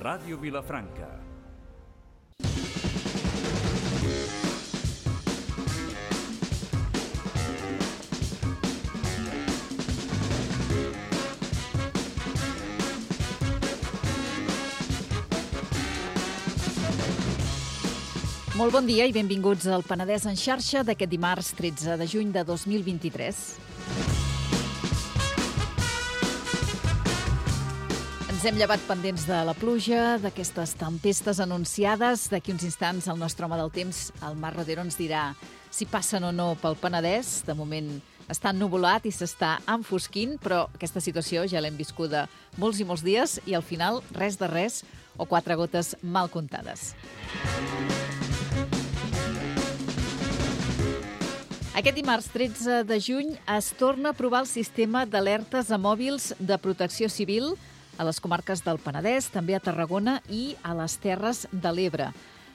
Ràdio Vilafranca. Molt bon dia i benvinguts al Penedès en xarxa d'aquest dimarts 13 de juny de 2023. Ens hem llevat pendents de la pluja, d'aquestes tempestes anunciades. D'aquí uns instants el nostre home del temps, el Marc Rodero, ens dirà si passen o no pel Penedès. De moment està ennuvolat i s'està enfosquint, però aquesta situació ja l'hem viscuda molts i molts dies i al final res de res o 4 gotes mal comptades. Aquest dimarts 13 de juny es torna a aprovar el sistema d'alertes a mòbils de protecció civil a les comarques del Penedès, també a Tarragona i a les Terres de l'Ebre.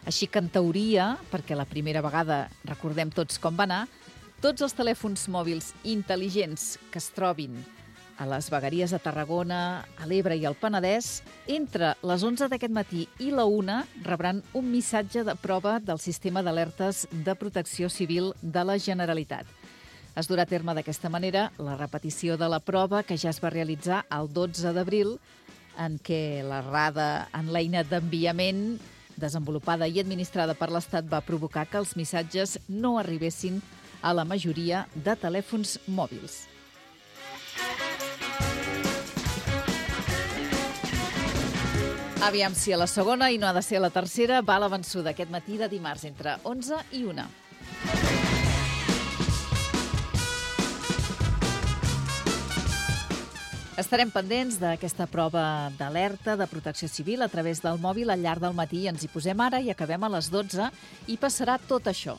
Així que, en teoria, perquè la primera vegada recordem tots com va anar, tots els telèfons mòbils intel·ligents que es trobin a les vegueries de Tarragona, a l'Ebre i al Penedès, entre les 11 d'aquest matí i la 1 rebran un missatge de prova del sistema d'alertes de protecció civil de la Generalitat. Es durà a terme d'aquesta manera la repetició de la prova que ja es va realitzar el 12 d'abril, en què l'errada en l'eina d'enviament desenvolupada i administrada per l'Estat va provocar que els missatges no arribessin a la majoria de telèfons mòbils. Aviam si a la segona i no ha de ser a la tercera va la vençuda aquest matí de dimarts entre 11 i 1. Estarem pendents d'aquesta prova d'alerta de protecció civil a través del mòbil al llarg del matí. Ens hi posem ara i acabem a les 12 i passarà tot això.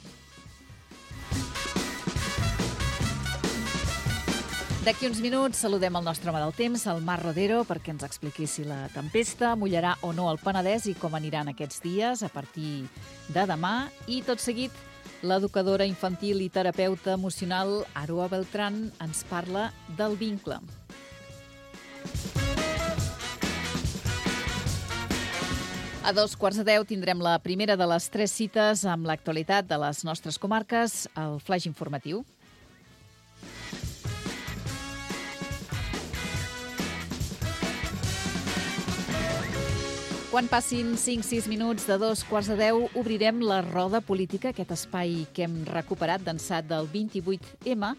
D'aquí uns minuts saludem el nostre home del temps, el Marc Rodero, perquè ens expliqui si la tempesta mullarà o no el Penedès i com aniran aquests dies a partir de demà. I tot seguit, l'educadora infantil i terapeuta emocional Aroa Beltran ens parla del vincle. A 9:45 tindrem la primera de les 3 cites amb l'actualitat de les nostres comarques, el flaix informatiu. Quan passin 5-6 minuts de 9:45, obrirem la roda política, aquest espai que hem recuperat d'ençà del 28M.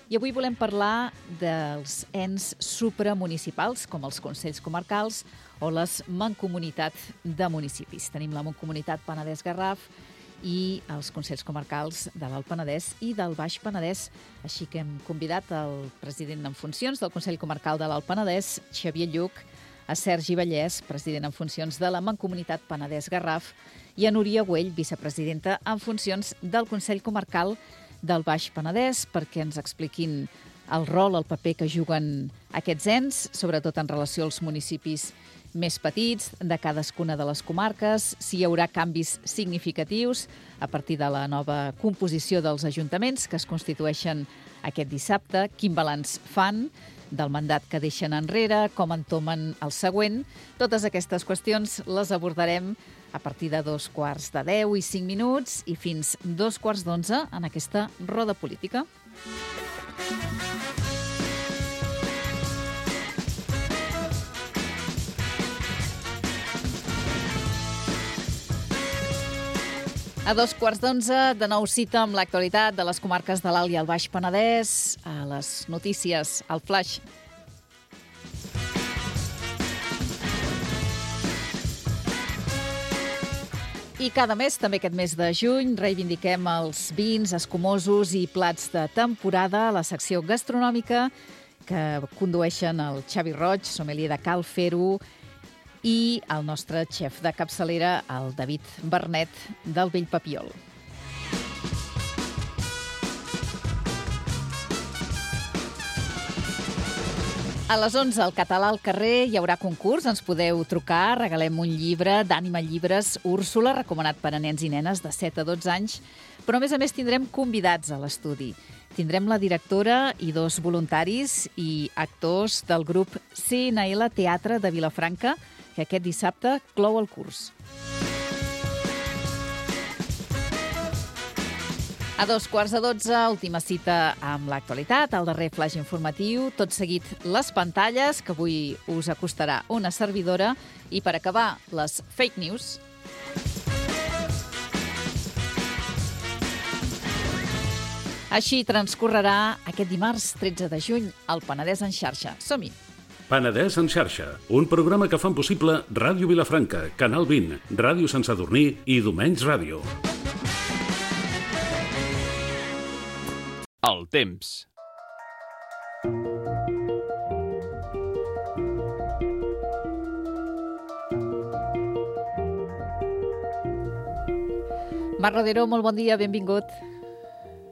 I avui volem parlar dels ens supramunicipals, com els consells comarcals o les mancomunitats de municipis. Tenim la Mancomunitat Penedès-Garraf i els consells comarcals de l'Alt Penedès i del Baix Penedès. Així que hem convidat el president en funcions del Consell Comarcal de l'Alt Penedès, Xavier Lluc, a Sergi Vallès, president en funcions de la Mancomunitat Penedès-Garraf, i a Núria Güell, vicepresidenta en funcions del Consell Comarcal del Baix Penedès, perquè ens expliquin el rol, el paper que juguen aquests ens, sobretot en relació als municipis més petits de cadascuna de les comarques, si hi haurà canvis significatius a partir de la nova composició dels ajuntaments que es constitueixen aquest dissabte, quin balanç fan del mandat que deixen enrere, com entomen el següent. Totes aquestes qüestions les abordarem a partir de 9:45 i 5 minuts i fins 9:45 en aquesta roda política. A 9:45, de nou cita amb l'actualitat de les comarques de l'Alt i el Baix Penedès, a les notícies, al flaix. I cada mes, també aquest mes de juny, reivindiquem els vins escumosos i plats de temporada a la secció gastronòmica que condueixen el Xavi Roig, sommelier de Cal Fer-ho, i el nostre xef de capçalera, el David Bernet, del Vell Papiol. A les 11, al Català al carrer, hi haurà concurs. Ens podeu trucar, regalem un llibre d'Ànima Llibres Úrsula, recomanat per a nens i nenes de 7 a 12 anys. Però, a més, tindrem convidats a l'estudi. Tindrem la directora i 2 voluntaris i actors del grup CNL Teatre de Vilafranca, que aquest dissabte clou el curs. A 12:15, última cita amb l'actualitat, el darrer flash informatiu, tot seguit les pantalles, que avui us acostarà una servidora, i per acabar, les fake news. Així transcorrerà aquest dimarts 13 de juny al Penedès en xarxa. Som-hi! Penedès en xarxa, un programa que fan possible Ràdio Vilafranca, Canal 20, Ràdio Sant Sadurní i Domenys Ràdio. El temps. Marc Rodero, molt bon dia, benvingut.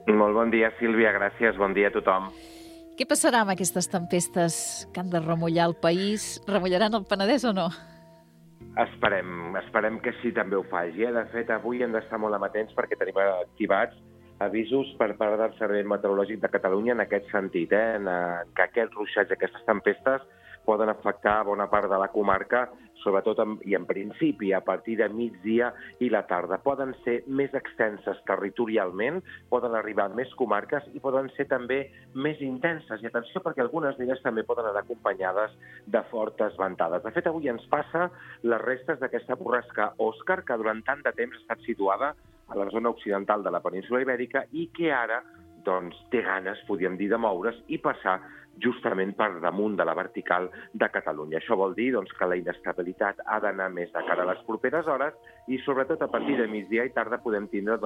Molt bon dia, Sílvia, gràcies. Bon dia a tothom. Què passarà amb aquestes tempestes que han de remullar el país? Remullaran el Penedès o no? Esperem que sí, també ho faci. De fet, avui hem d'estar molt amatents perquè tenim activats avisos per part del Servei Meteorològic de Catalunya en aquest sentit, en que aquests ruixats, aquestes tempestes, poden afectar bona part de la comarca, sobretot i en principi a partir de migdia i la tarda. Poden ser més extenses territorialment, poden arribar a més comarques i poden ser també més intenses. I atenció, perquè algunes d'elles també poden anar acompanyades de fortes ventades. De fet, avui ens passa les restes d'aquesta borrasca Òscar, que durant tant de temps ha estat situada a la zona occidental de la península Ibèrica i que ara té ganes, podríem dir, de moure's i passar justament per damunt de la vertical de Catalunya. Això vol dir que la inestabilitat ha d'anar més de cara a les properes hores i sobretot a partir de migdia i tarda podem tindre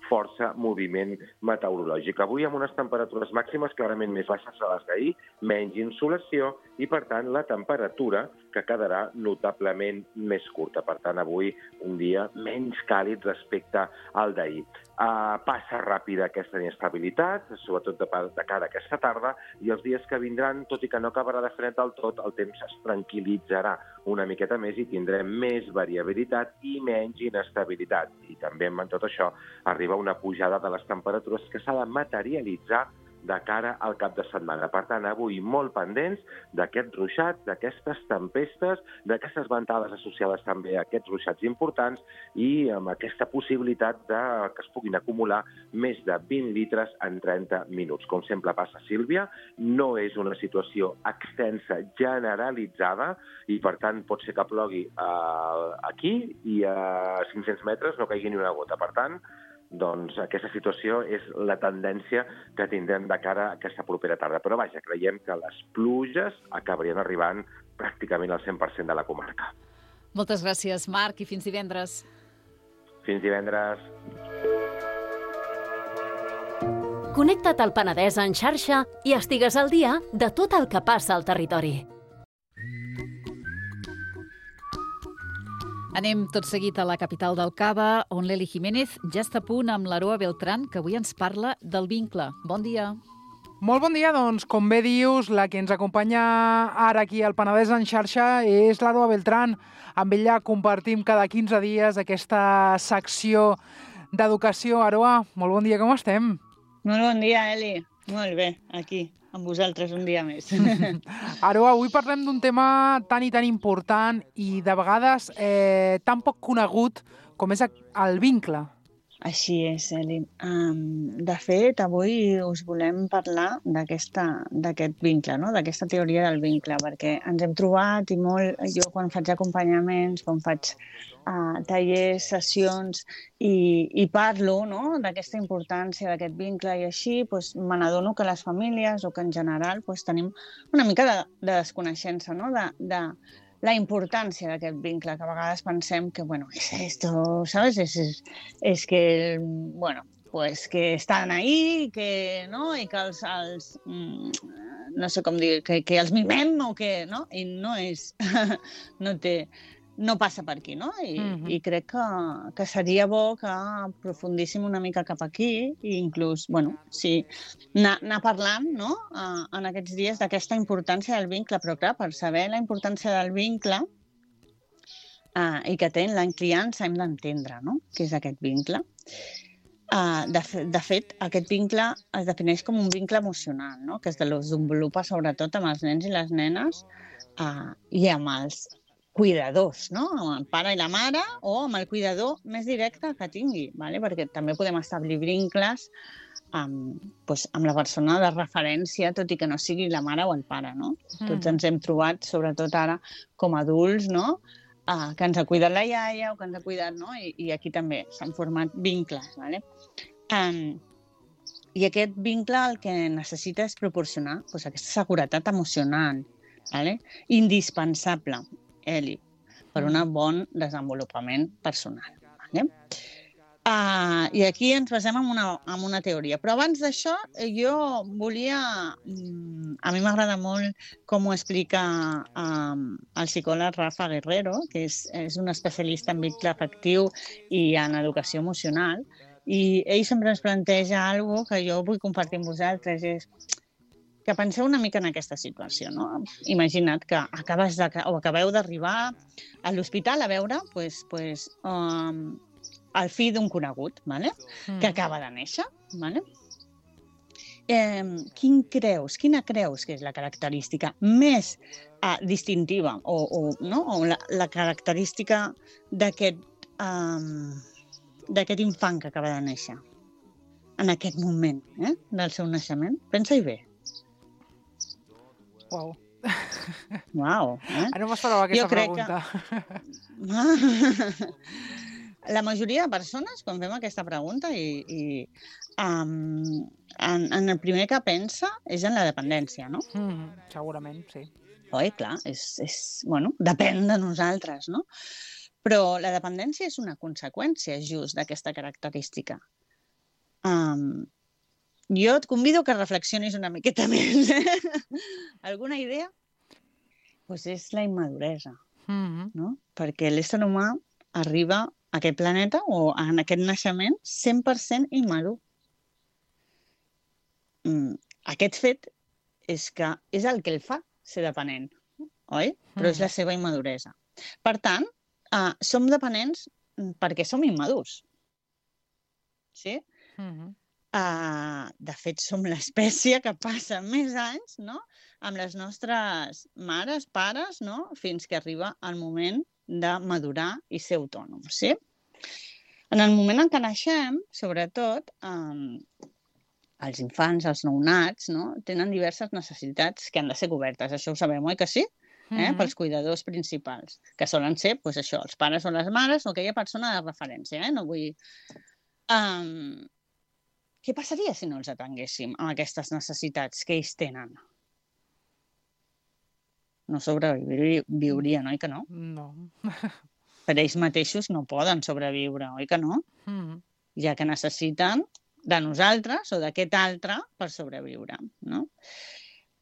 força moviment meteorològic. Avui amb unes temperatures màximes clarament més baixes a les d'ahir, menys insolació i per tant la temperatura que quedarà notablement més curta. Per tant avui un dia menys càlid respecte al d'ahir. Passa ràpida aquesta inestabilitat, sobretot de cara a aquesta tarda, i els dies que vindran, tot i que no acabarà de fred del tot, el temps es tranquil·litzarà una miqueta més i tindrem més variabilitat i menys inestabilitat. I també amb tot això arriba una pujada de les temperatures que s'ha de materialitzar de cara al cap de setmana. Per tant, avui molt pendents d'aquests ruixats, d'aquestes tempestes, d'aquestes ventades associades també a aquests ruixats importants i amb aquesta possibilitat que es puguin acumular més de 20 litres en 30 minuts. Com sempre passa, Sílvia, no és una situació extensa, generalitzada, i per tant pot ser que plogui aquí i a 500 metres no caigui ni una gota. Per tant, aquesta situació és la tendència que tindrem de cara a aquesta propera tarda. Però vaja, creiem que les pluges acabarien arribant pràcticament al 100% de la comarca. Moltes gràcies, Marc, i fins divendres. Fins divendres. Connecta't al Penedès en xarxa i estigues al dia de tot el que passa al territori. Anem tot seguit a la capital del Cava, on l'Eli Jiménez ja està a punt amb l'Aroa Beltrán, que avui ens parla del vincle. Bon dia. Molt bon dia, com bé dius, la que ens acompanya ara aquí al Penedès en xarxa és l'Aroa Beltrán. Amb ella compartim cada 15 dies aquesta secció d'educació. Aroa, molt bon dia, com estem? Molt bon dia, Eli. Molt bé, aquí, amb vosaltres un dia més. Aroa, avui parlem d'un tema tan i tan important i de vegades tan poc conegut com és el vincle. Així és, Eli. De fet, avui us volem parlar d'aquest vincle, no? D'aquesta teoria del vincle, perquè ens hem trobat i molt, jo quan faig acompanyaments, quan faig tallers, sessions i parlo, no?, d'aquesta importància d'aquest vincle i així, me n'adono que les famílies o que en general tenim una mica de desconeixença, no?, de la importància d'aquest vincle, que a vegades pensem que, es esto, ¿sabes? Es que, que estan ahí, que, no?, i que els no sé com dir, que els mimem o que, no?, i no és, no passa per aquí, no? I crec que seria bo que aprofundíssim una mica cap aquí i inclús, anar parlant, no?, en aquests dies d'aquesta importància del vincle, però clar, per saber la importància del vincle i que té en la criança hem d'entendre, no?, què és aquest vincle. De fet, aquest vincle es defineix com un vincle emocional, no?, que es desenvolupa sobretot amb els nens i les nenes i amb els cuidadors, no? Amb el pare i la mare o amb el cuidador més directe que tingui, ¿vale? Perquè també podem establir vincles amb la persona de referència, tot i que no sigui la mare o el pare, no? Tots ens hem trobat, sobretot ara, com a adults, no? Que ens ha cuidat la iaia o que ens ha cuidat, no? I aquí també s'han format vincles, ¿vale? I aquest vincle el que necessita és proporcionar aquesta seguretat emocional, ¿vale? Indispensable, Eli, per un bon desenvolupament personal, ¿vale? I aquí ens basem en una teoria. Però abans d'això, jo volia... A mi m'agrada molt com ho explica el psicòleg Rafa Guerrero, que és un especialista en vincle afectiu i en educació emocional, i ell sempre ens planteja alguna cosa que jo vull compartir amb vosaltres, és que penseu una mica en aquesta situació, no? Imagina't que acabeu d'arribar a l'hospital a veure el fill d'un conegut, ¿vale? Que acaba de néixer. ¿Vale? Quina creus que és la característica més distintiva o la característica d'aquest infant que acaba de néixer en aquest moment del seu naixement? Pensa-hi bé. Uau. Uau. No m'esperava aquesta pregunta. La majoria de persones, quan fem aquesta pregunta, en el primer que pensa és en la dependència, no? Segurament, sí. Oi, clar, depèn de nosaltres, no? Però la dependència és una conseqüència just d'aquesta característica. Jo et convido que reflexionis una miqueta més. Alguna idea? Doncs és la immaduresa, no? Perquè l'ésser humà arriba a aquest planeta o en aquest naixement 100% immadur. Aquest fet és el que el fa ser dependent, oi? Però és la seva immaduresa. Per tant, som dependents perquè som immadurs. Sí? De fet, som l'espècie que passa més anys, no?, amb les nostres mares, pares, no?, fins que arriba el moment de madurar i ser autònoms, sí? En el moment en què naixem, sobretot, els infants, els nounats, no?, tenen diverses necessitats que han de ser cobertes. Això ho sabem, oi que sí? Pels cuidadors principals, que solen ser, doncs això, els pares o les mares o aquella persona de referència, no vull... Què passaria si no els atenguéssim amb aquestes necessitats que ells tenen? No sobreviurien, oi que no? No. Per ells mateixos no poden sobreviure, oi que no? Ja que necessiten de nosaltres o d'aquest altre per sobreviure, no?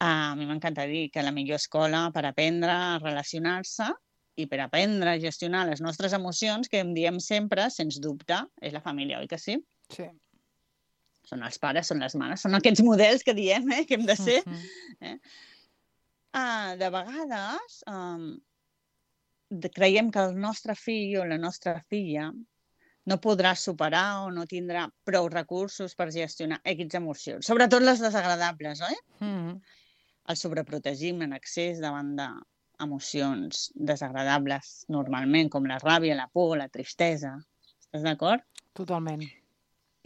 A mi m'encanta dir que la millor escola per aprendre a relacionar-se i per aprendre a gestionar les nostres emocions, que em diem sempre, sens dubte, és la família, oi que sí? Sí. Són els pares, són les mares, són aquests models que diem que hem de ser. De vegades creiem que el nostre fill o la nostra filla no podrà superar o no tindrà prou recursos per gestionar aquestes emocions, sobretot les desagradables, oi? El sobreprotegim en excés davant d'emocions desagradables normalment, com la ràbia, la por, la tristesa. Estàs d'acord? Totalment.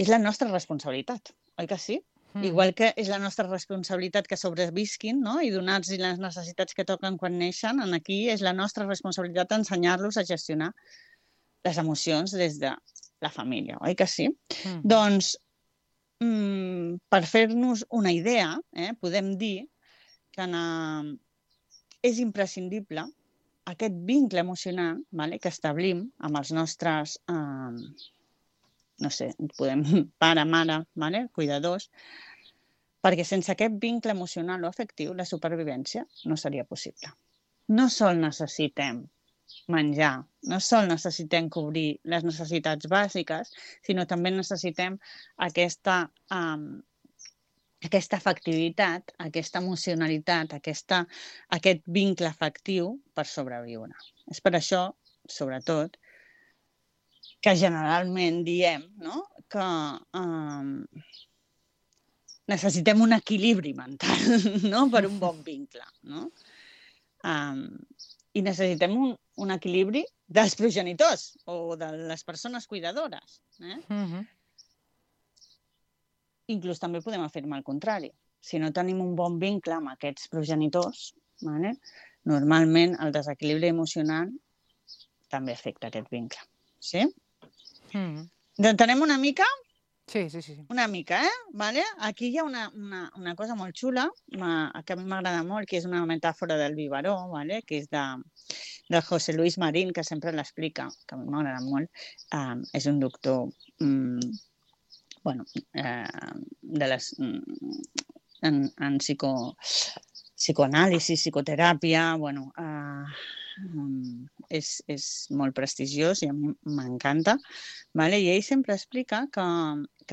És la nostra responsabilitat, oi que sí? Igual que és la nostra responsabilitat que sobrevisquin, no? I donar-los les necessitats que toquen quan neixen, aquí és la nostra responsabilitat ensenyar-los a gestionar les emocions des de la família, oi que sí? Doncs, per fer-nos una idea, podem dir que és imprescindible aquest vincle emocional que establim amb els nostres... no sé, podem pare, mare, cuidadors, perquè sense aquest vincle emocional o afectiu la supervivència no seria possible. No sol necessitem menjar, no sol necessitem cobrir les necessitats bàsiques, sinó també necessitem aquesta afectivitat, aquesta emocionalitat, aquest vincle afectiu per sobreviure. És per això, sobretot, que generalment diem que necessitem un equilibri mental per un bon vincle. I necessitem un equilibri dels progenitors o de les persones cuidadores. Inclús també podem afirmar el contrari. Si no tenim un bon vincle amb aquests progenitors, normalment el desequilibri emocional també afecta aquest vincle. Sí? Entenem una mica? Sí. Una mica, Vale? Aquí hi ha una cosa molt xula que a mi m'agrada molt, que és una metàfora del biberó, vale? Que és del José Luis Marín, que sempre l'explica, que a mi m'agrada molt. És un doctor en psicoanàlisi, psicoteràpia, és molt prestigiós i a mi m'encanta. Vale? I ell sempre explica que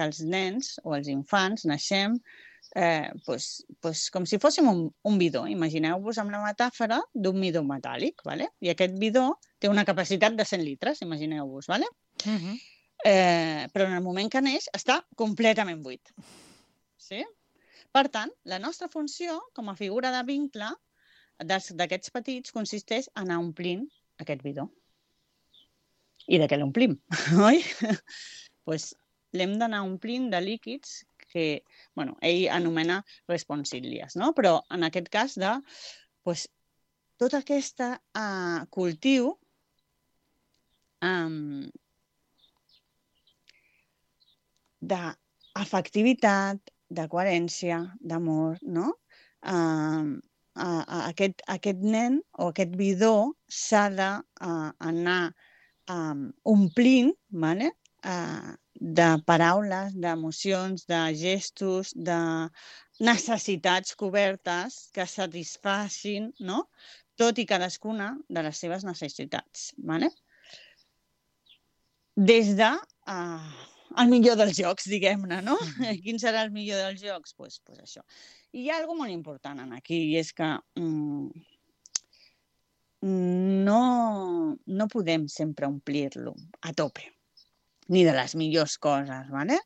els nens o els infants naixem com si fóssim un bidó. Imagineu-vos amb la metàfora d'un bidó metàl·lic. Vale? I aquest bidó té una capacitat de 100 litres, imagineu-vos. Vale? Però en el moment que neix està completament buit. Sí? Per tant, la nostra funció com a figura de vincle d'aquests petits consisteix en anar omplint aquest bidó. I de què l'omplim, oi? Doncs l'hem d'anar omplint de líquids que ell anomena responsílies, no? Però en aquest cas de tot aquest cultiu d'afectivitat, de coherència, d'amor, no? Aquest nen o aquest bidó s'ha d'anar omplint de paraules, d'emocions, de gestos, de necessitats cobertes que satisfacin tot i cadascuna de les seves necessitats. Des de el millor dels jocs, diguem-ne, no? Quin serà el millor dels jocs? Doncs això. I hi ha alguna cosa molt important aquí, i és que no podem sempre omplir-lo a tope, ni de les millors coses, ¿vale?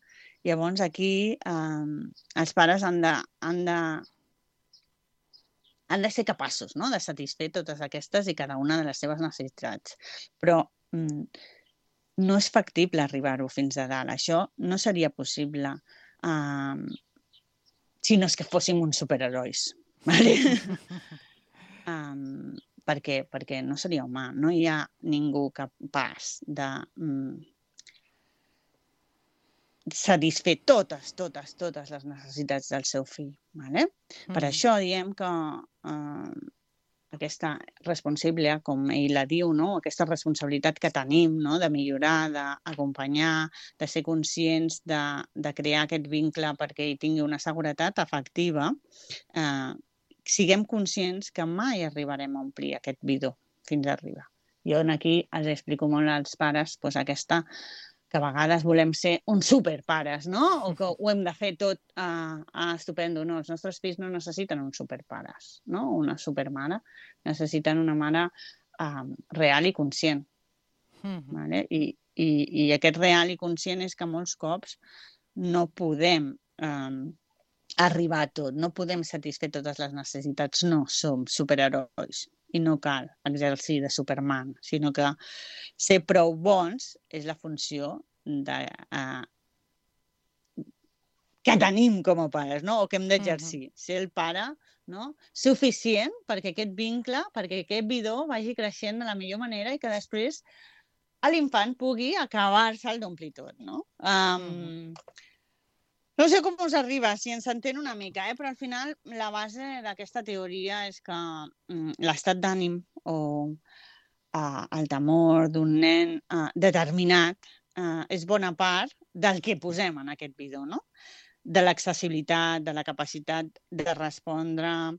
Llavors aquí els pares han de ser capaços de satisfer totes aquestes i cada una de les seves necessitats. Però no és factible arribar-ho fins a dalt. Això no seria possible si no és que fóssim uns superherois. ¿Vale? Perquè no seria humà. No hi ha ningú capaç de satisfer totes les necessitats del seu fill. ¿Vale? Per això diem que aquesta responsabilitat, com ell la diu, aquesta responsabilitat que tenim de millorar, d'acompanyar, de ser conscients, de crear aquest vincle perquè ell tingui una seguretat afectiva, siguem conscients que mai arribarem a omplir aquest bidó fins a arribar. Jo aquí els explico molt als pares aquesta que a vegades volem ser uns superpares, no? O que ho hem de fer tot estupendo. No, els nostres fills no necessiten uns superpares, no? Una supermare. Necessiten una mare real i conscient. Vale? I aquest real i conscient és que molts cops no podem arribar a tot, no podem satisfer totes les necessitats, no som superherois. I no cal exercir de Superman, sinó que ser prou bons és la funció que tenim com a pares, o que hem d'exercir. Ser el pare suficient perquè aquest vincle, perquè aquest bidó vagi creixent de la millor manera i que després l'infant pugui acabar-se'l d'omplir tot. No sé com us arriba, si ens entén una mica, però al final la base d'aquesta teoria és que l'estat d'ànim o el temor d'un nen determinat és bona part del que posem en aquest bidó, de l'accessibilitat, de la capacitat de respondre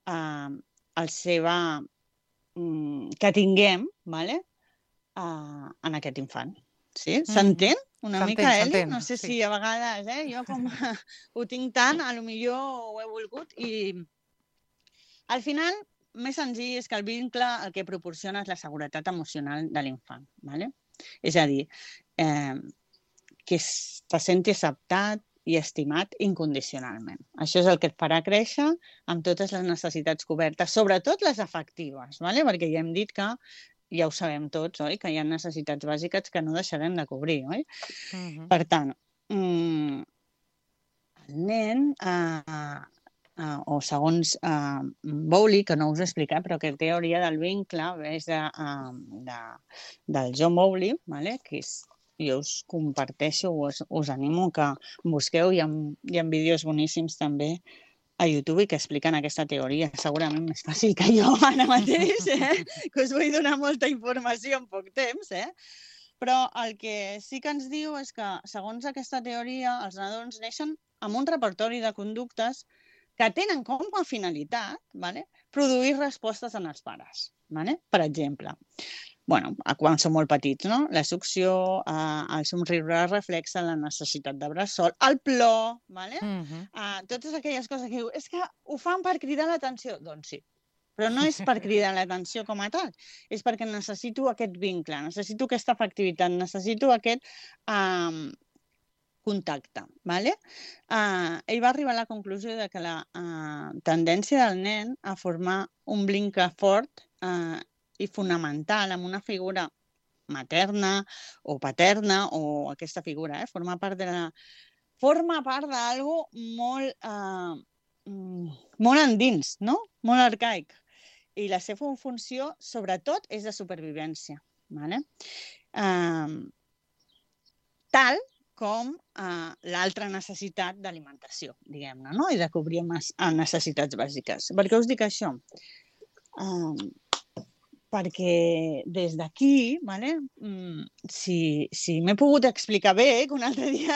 al seva que tinguem en aquest infant. Sí? S'entén una mica, Eli? No sé si a vegades, jo com ho tinc tant, potser ho he volgut i al final més senzill és que el vincle el que proporciona és la seguretat emocional de l'infant. És a dir, que se senti acceptat i estimat incondicionalment. Això és el que et farà créixer amb totes les necessitats cobertes, sobretot les afectives, ¿vale? Perquè ja hem dit que, ja ho sabem tots, oi? Que hi ha necessitats bàsiques que no deixarem de cobrir, oi? Per tant, el nen, o segons Bowley, que no us he explicat, però que teoria del vincle és del John Bowley, ¿vale? Que és, jo us comparteixo, us animo que busqueu, hi ha vídeos boníssims també a YouTube que expliquen aquesta teoria, segurament més fàcil que jo ara mateix, que us vull donar molta informació en poc temps, però el que sí que ens diu és que, segons aquesta teoria, els nadons neixen amb un repertori de conductes que tenen com a finalitat, ¿vale? Produir respostes en els pares. ¿Vale? Per exemple, quan són molt petits, no? La succió, el somriure reflexa la necessitat de bressol, el plor, ¿vale? Totes aquelles coses que diu, és que ho fan per cridar l'atenció. Doncs sí, però no és per cridar l'atenció com a tal, és perquè necessito aquest vincle, necessito aquesta afectivitat, necessito aquest contacte, ¿vale? Ell va arribar a la conclusió de que la tendència del nen a formar un vincle fort i fonamental amb una figura materna o paterna o aquesta figura, forma part d'algo molt endins, no? Molt arcaic. I la seva funció, sobretot, és de supervivència, ¿vale? Tal com l'altra necessitat d'alimentació, diguem-ne, no? I de cobrir necessitats bàsiques. Per què us dic això? Perquè des d'aquí, ¿vale? Si m'he pogut explicar bé, que un altre dia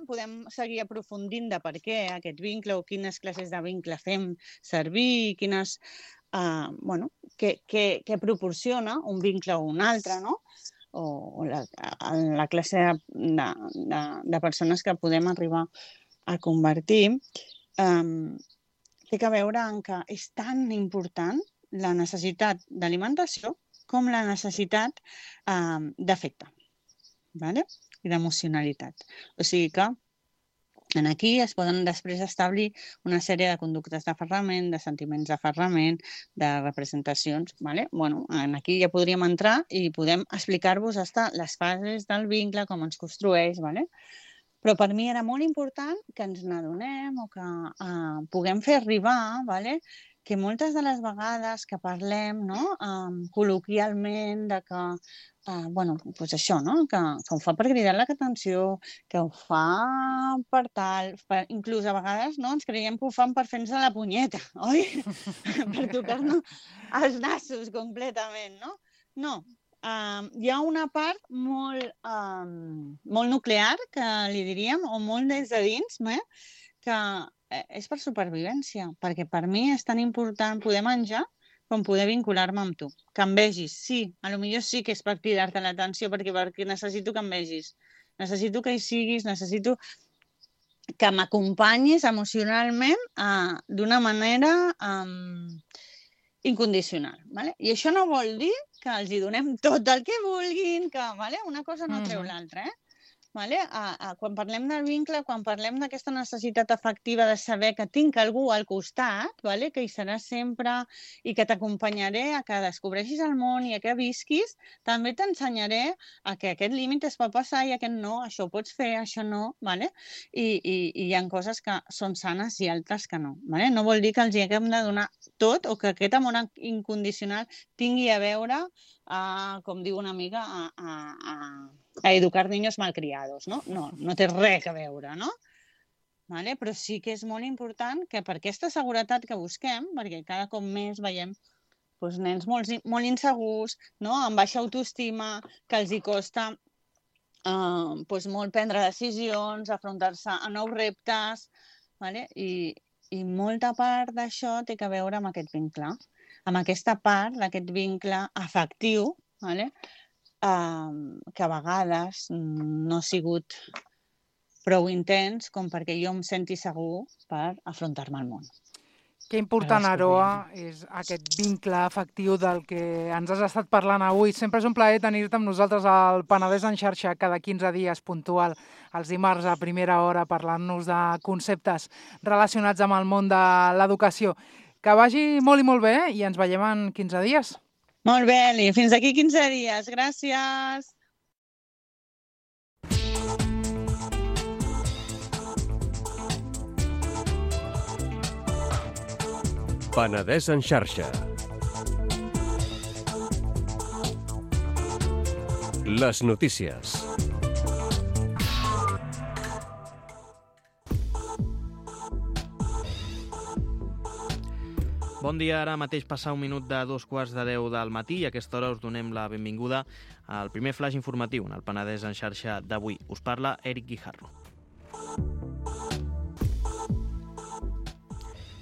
podem seguir aprofundint de per què aquest vincle o quines classes de vincle fem servir, què proporciona un vincle o un altre, no? O la classe de persones que podem arribar a convertir, té que veure amb que és tan important la necessitat d'alimentació com la necessitat d'afecte, ¿vale? I d'emocionalitat. O sigui que aquí es poden després establir una sèrie de conductes d'aferrament, de sentiments d'aferrament, de representacions, ¿vale? Aquí ja podríem entrar i podem explicar-vos les fases del vincle, com ens construeix, ¿vale? Però per mi era molt important que ens n'adonem o que puguem fer arribar, ¿vale? Que moltes de les vegades que parlem, no? Col·loquialment, de que, això, no? Que ho fa per cridar l'atenció, que ho fa per tal, inclús a vegades ens creiem que ho fan per fer-nos la punyeta, oi? Per tocar-nos els nassos completament, no? No. Hi ha una part molt nuclear, que li diríem, o molt des de dins, que és per supervivència, perquè per mi és tan important poder menjar com poder vincular-me amb tu. Que em vegis, sí, potser sí que és per cridar-te l'atenció, perquè necessito que em vegis, necessito que hi siguis, necessito que m'acompanyis emocionalment d'una manera incondicional. ¿Vale? I això no vol dir que els hi donem tot el que vulguin, que una cosa no treu l'altra, Vale? Quan parlem del vincle, quan parlem d'aquesta necessitat afectiva de saber que tinc algú al costat, vale? Que hi serà sempre i que t'acompanyaré a que descobreixis el món i a que visquis, també t'ensenyaré a que aquest límit es pot passar i aquest no, això ho pots fer, això no, vale? I hi ha coses que són sanes i altres que no. Vale? No vol dir que els hi haguem de donar tot o que aquest amor incondicional tingui a veure, com diu una amiga, a educar niños malcriados, no? No té res a veure, no? Vale? Però sí que és molt important que per aquesta seguretat que busquem, perquè cada cop més veiem nens molt insegurs, no? Amb baixa autoestima, que els hi costa molt prendre decisions, afrontar-se a nous reptes, vale? I molta part d'això té a veure amb aquest vincle, amb aquesta part d'aquest vincle afectiu, vale? Que a vegades no ha sigut prou intens com perquè jo em senti segur per afrontar-me al món. Que important, Aroa, és aquest vincle afectiu del que ens has estat parlant avui. Sempre és un plaer tenir-te amb nosaltres al Penedès en xarxa cada 15 dies, puntual, els dimarts a primera hora, parlant-nos de conceptes relacionats amb el món de l'educació. Que vagi molt i molt bé i ens veiem en 15 dies. Molt bé, Eli. Fins d'aquí 15 dies. Gràcies. Penedès en xarxa. Les notícies. Bon dia, ara mateix passa un minut de 9:45 del matí i a aquesta hora us donem la benvinguda al primer flash informatiu en el Penedès en xarxa d'avui. Us parla Eric Guijarro.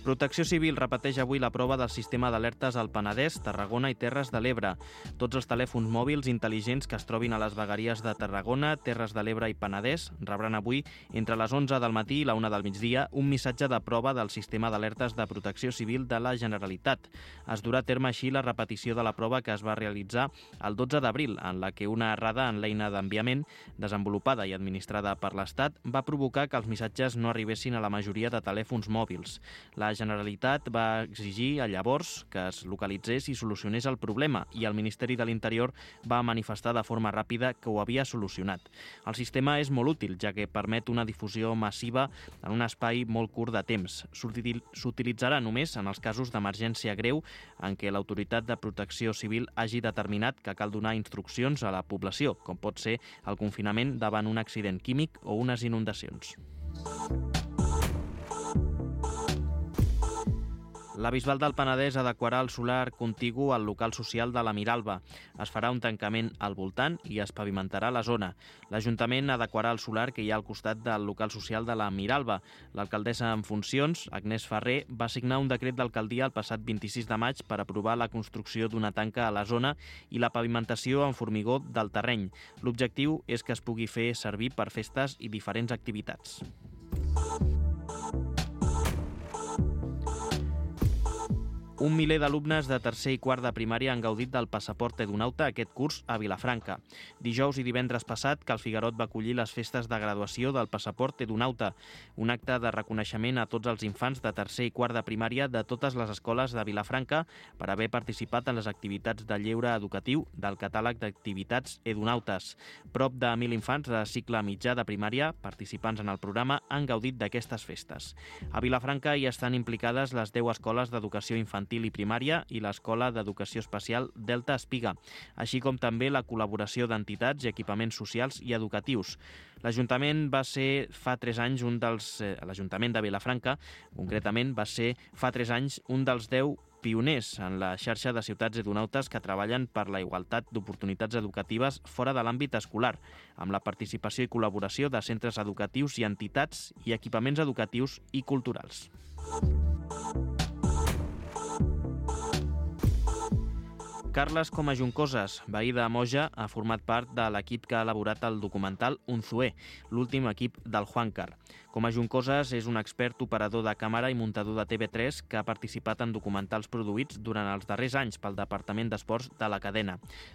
Protecció Civil repeteix avui la prova del sistema d'alertes al Penedès, Tarragona i Terres de l'Ebre. Tots els telèfons mòbils intel·ligents que es trobin a les vegueries de Tarragona, Terres de l'Ebre i Penedès rebran avui, entre les 11 del matí i la 1 del migdia, un missatge de prova del sistema d'alertes de Protecció Civil de la Generalitat. Es durà a terme així la repetició de la prova que es va realitzar el 12 d'abril, en la que una errada en l'eina d'enviament, desenvolupada i administrada per l'Estat, va provocar que els missatges no arribessin a la majoria de telèfons mòbils. La Generalitat va exigir llavors que es localitzés i solucionés el problema i el Ministeri de l'Interior va manifestar de forma ràpida que ho havia solucionat. El sistema és molt útil, ja que permet una difusió massiva en un espai molt curt de temps. S'utilitzarà només en els casos d'emergència greu en què l'Autoritat de Protecció Civil hagi determinat que cal donar instruccions a la població, com pot ser el confinament davant un accident químic o unes inundacions. La Bisbal del Penedès adequarà el solar contigu al local social de la Miralba. Es farà un tancament al voltant i es pavimentarà la zona. L'Ajuntament adequarà el solar que hi ha al costat del local social de la Miralba. L'alcaldessa en funcions, Agnès Ferrer, va signar un decret d'alcaldia el passat 26 de maig per aprovar la construcció d'una tanca a la zona i la pavimentació en formigó del terreny. L'objectiu és que es pugui fer servir per festes i diferents activitats. Un miler d'alumnes de tercer i quart de primària han gaudit del passaport Edunauta aquest curs a Vilafranca. Dijous i divendres passat, Cal Figuerot va acollir les festes de graduació del passaport Edunauta, un acte de reconeixement a tots els infants de tercer i quart de primària de totes les escoles de Vilafranca per haver participat en les activitats de lleure educatiu del catàleg d'activitats Edunautes. Prop de 1.000 infants de cicle mitjà de primària, participants en el programa, han gaudit d'aquestes festes. A Vilafranca hi estan implicades les 10 escoles d'educació infantil i primària i l'Escola d'Educació Especial Delta Espiga, així com també la col·laboració d'entitats i equipaments socials i educatius. L'Ajuntament va ser fa 3 anys l'Ajuntament de Vilafranca, concretament, va ser fa 3 anys un dels 10 pioners en la xarxa de ciutats edunautes que treballen per la igualtat d'oportunitats educatives fora de l'àmbit escolar, amb la participació i col·laboració de centres educatius i entitats i equipaments educatius i culturals. Carles Coma Juncoses, veí de Moja, ha format part de l'equip que ha elaborat el documental Unzué, l'últim equip del Juancar. Coma Juncoses és un expert operador de càmera i muntador de TV3 que ha participat en documentals produïts durant els darrers anys pel Departament d'Esports de la cadena.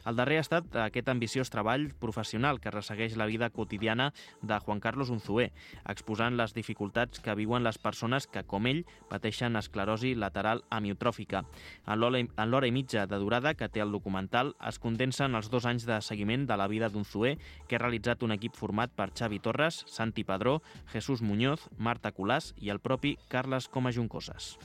El darrer ha estat aquest ambiciós treball professional que ressegueix la vida quotidiana de Juan Carlos Unzué, exposant les dificultats que viuen les persones que, com ell, pateixen esclerosi lateral amiotròfica. En l'hora i mitja de durada que té el documental es condensen els 2 anys de seguiment de la vida d'Unzué que ha realitzat un equip format per Xavi Torres, Santi Padró, Jesús Muñoz, Marta Colàs i el propi Carles Coma Juncoses.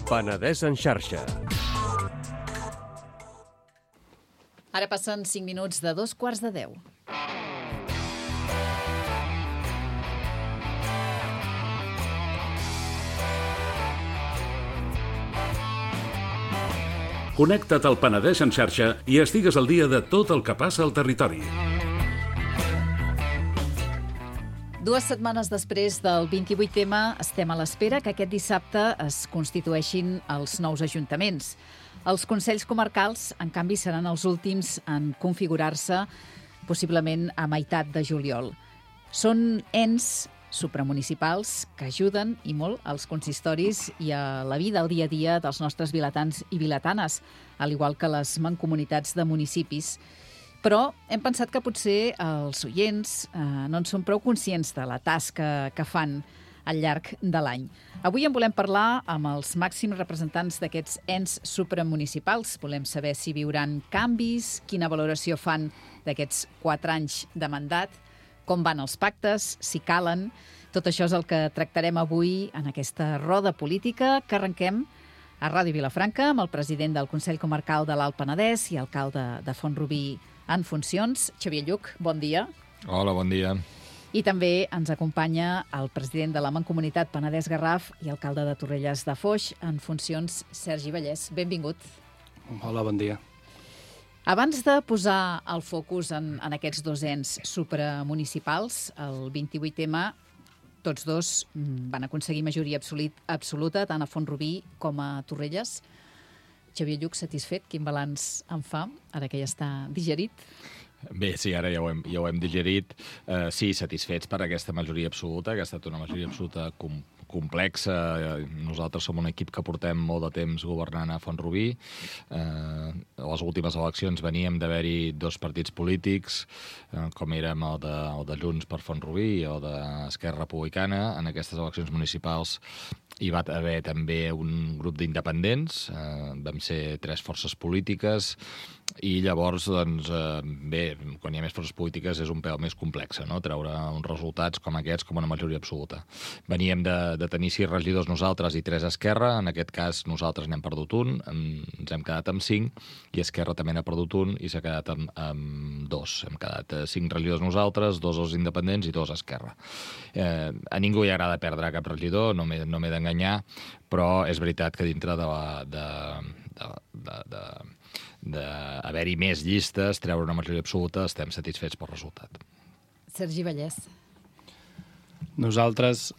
Penedès en xarxa. Ara passen 5 minuts de 9:45. Connecta't al Penedès en xarxa i estigues al dia de tot el que passa al territori. 2 setmanes després del 28M estem a l'espera que aquest dissabte es constitueixin els nous ajuntaments. Els consells comarcals, en canvi, seran els últims en configurar-se, possiblement a meitat de juliol. Són ens supramunicipals que ajuden i molt als consistoris i a la vida al dia a dia dels nostres vilatans i vilatanes, al igual que les mancomunitats de municipis. Però hem pensat que potser els oients no en són prou conscients de la tasca que fan al llarg de l'any. Avui en volem parlar amb els màxims representants d'aquests ens supramunicipals. Volem saber si viuran canvis, quina valoració fan d'aquests 4 anys de mandat, com van els pactes, si calen. Tot això és el que tractarem avui en aquesta roda política que arrenquem a Ràdio Vilafranca amb el president del Consell Comarcal de l'Alt Penedès i alcalde de Font-rubí en funcions, Xavier Lluch. Bon dia. Hola, bon dia. I també ens acompanya el president de la Mancomunitat Penedès-Garraf i alcalde de Torrelles de Foix en funcions, Sergi Vallès. Benvingut. Hola, bon dia. Abans de posar el focus en aquests 2 ens supramunicipals, el 28M, tots 2 van aconseguir majoria absoluta, tant a Font-rubí com a Torrelles. Xavier Lluch, satisfet? Quin balanç en fa, ara que ja està digerit? Bé, sí, ara ja ho hem digerit. Sí, satisfets per aquesta majoria absoluta, que ha estat una majoria absoluta complexa. Nosaltres som un equip que portem molt de temps governant a Font-rubí. A les últimes eleccions veníem d'haver-hi 2 partits polítics, com érem el de Junts per Font-rubí i el d'Esquerra Republicana. En aquestes eleccions municipals hi va haver també un grup d'independents, vam ser 3 forces polítiques, i llavors, doncs, bé, quan hi ha més forces polítiques és un pèl més complex, no?, treure uns resultats com aquests com una majoria absoluta. Veníem de tenir 6 regidors nosaltres i 3 a Esquerra. En aquest cas nosaltres n'hem perdut un, ens hem quedat amb 5, i Esquerra també n'ha perdut un i s'ha quedat amb 2. Hem quedat 5 regidors nosaltres, 2 els independents i 2 a Esquerra. A ningú li agrada perdre cap regidor, no m'he d'enganyar, però és veritat que dintre d'haver-hi més llistes, treure una majoria absoluta, estem satisfets pel resultat. Sergi Vallès. Nosaltres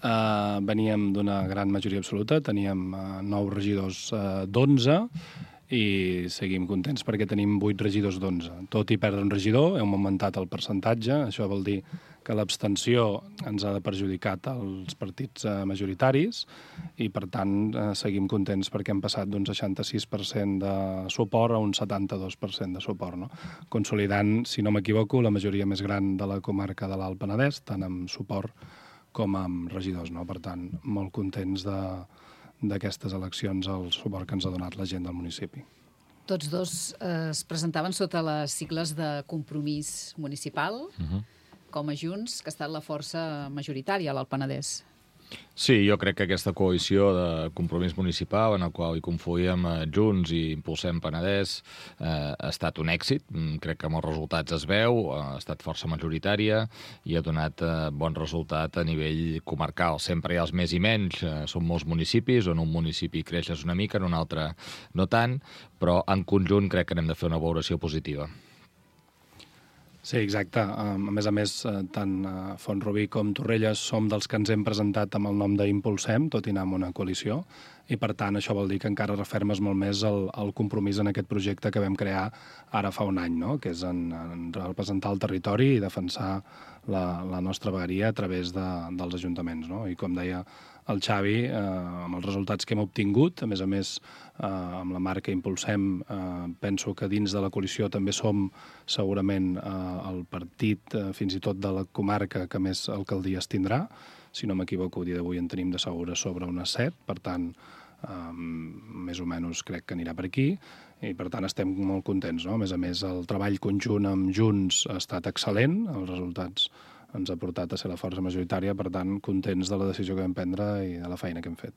veníem d'una gran majoria absoluta, teníem 9 regidors d'11 i seguim contents perquè tenim 8 regidors d'11. Tot i perdre un regidor, hem augmentat el percentatge, això vol dir que l'abstenció ens ha perjudicat als partits majoritaris i, per tant, seguim contents perquè hem passat d'un 66% de suport a un 72% de suport, no? Consolidant, si no m'equivoco, la majoria més gran de la comarca de l'Alt Penedès, tant amb suport com amb regidors, no? Per tant, molt contents d'aquestes eleccions, el suport que ens ha donat la gent del municipi. Tots 2 es presentaven sota les sigles de Compromís Municipal, com a Junts, que ha estat la força majoritària a l'Alt Penedès. Sí, jo crec que aquesta coalició de Compromís Municipal, en el qual hi confluïm Junts i Impulsem Penedès, ha estat un èxit. Crec que amb els resultats es veu, ha estat força majoritària i ha donat bon resultat a nivell comarcal. Sempre hi ha els més i menys, són molts municipis, on un municipi creixes una mica, en un altre no tant, però en conjunt crec que n'hem de fer una valoració positiva. Sí, exacte. A més, tant Font-rubí com Torrelles som dels que ens hem presentat amb el nom d'Impulsem, tot i anar amb una coalició, i per tant això vol dir que encara refermes molt més el compromís en aquest projecte que vam crear ara fa un any, no?, que és en representar el territori i defensar la nostra vegueria a través dels ajuntaments, no? I com deia el Xavi, amb els resultats que hem obtingut, a més, amb la marca Impulsem, penso que dins de la coalició també som segurament el partit, fins i tot de la comarca, que més alcaldies tindrà. Si no m'equivoco, el dia d'avui en tenim de segures sobre unes 7, per tant, més o menys crec que anirà per aquí, i per tant estem molt contents, no? A més, el treball conjunt amb Junts ha estat excel·lent, els resultats ens ha portat a ser la força majoritària, per tant, contents de la decisió que vam prendre i de la feina que hem fet.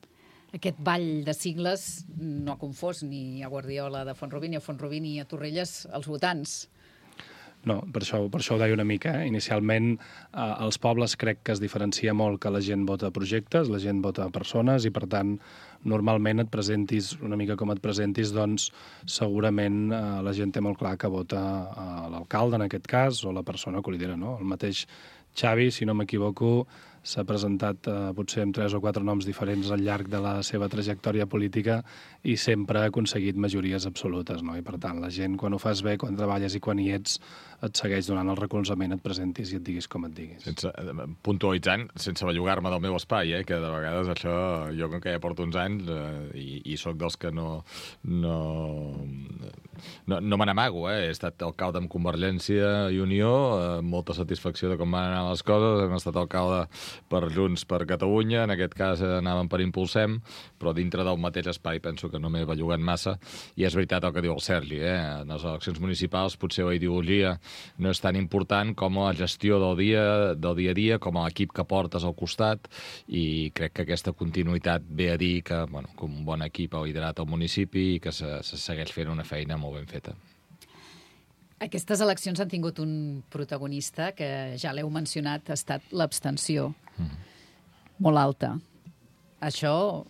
Aquest ball de sigles no ha confós ni a Guardiola de Font-rubí, ni a Font-rubí, ni a Torrelles, els votants. No, per això ho deia una mica. Inicialment, als pobles crec que es diferencia molt que la gent vota projectes, la gent vota persones, i per tant, normalment et presentis una mica com et presentis, doncs segurament la gent té molt clar que vota l'alcalde, en aquest cas, o la persona que ho lidera, no? El mateix Xavi, si no m'equivoco, s'ha presentat potser amb 3 o 4 noms diferents al llarg de la seva trajectòria política i sempre ha aconseguit majories absolutes, no? I per tant, la gent, quan ho fas bé, quan treballes i quan hi ets, et segueix donant el recolzament, et presentis i et diguis com et diguis. Puntualitzant, sense bellugar-me del meu espai, que de vegades això, jo com que ja porto uns anys i sóc dels que no me n'amago, he estat alcalde amb Convergència i Unió, molta satisfacció de com van anar les coses, hem estat alcalde per Junts per Catalunya, en aquest cas anàvem per Impulsem, però dintre del mateix espai penso que no m'he bellugat massa, i és veritat el que diu el Sergi, en les eleccions municipals potser la ideologia no és tan important com la gestió del dia a dia, com l'equip que portes al costat, i crec que aquesta continuïtat ve a dir que un bon equip ha liderat el municipi i que se segueix fent una feina molt ben feta. Aquestes eleccions han tingut un protagonista que ja l'heu mencionat, ha estat l'abstenció. Molt alta. Això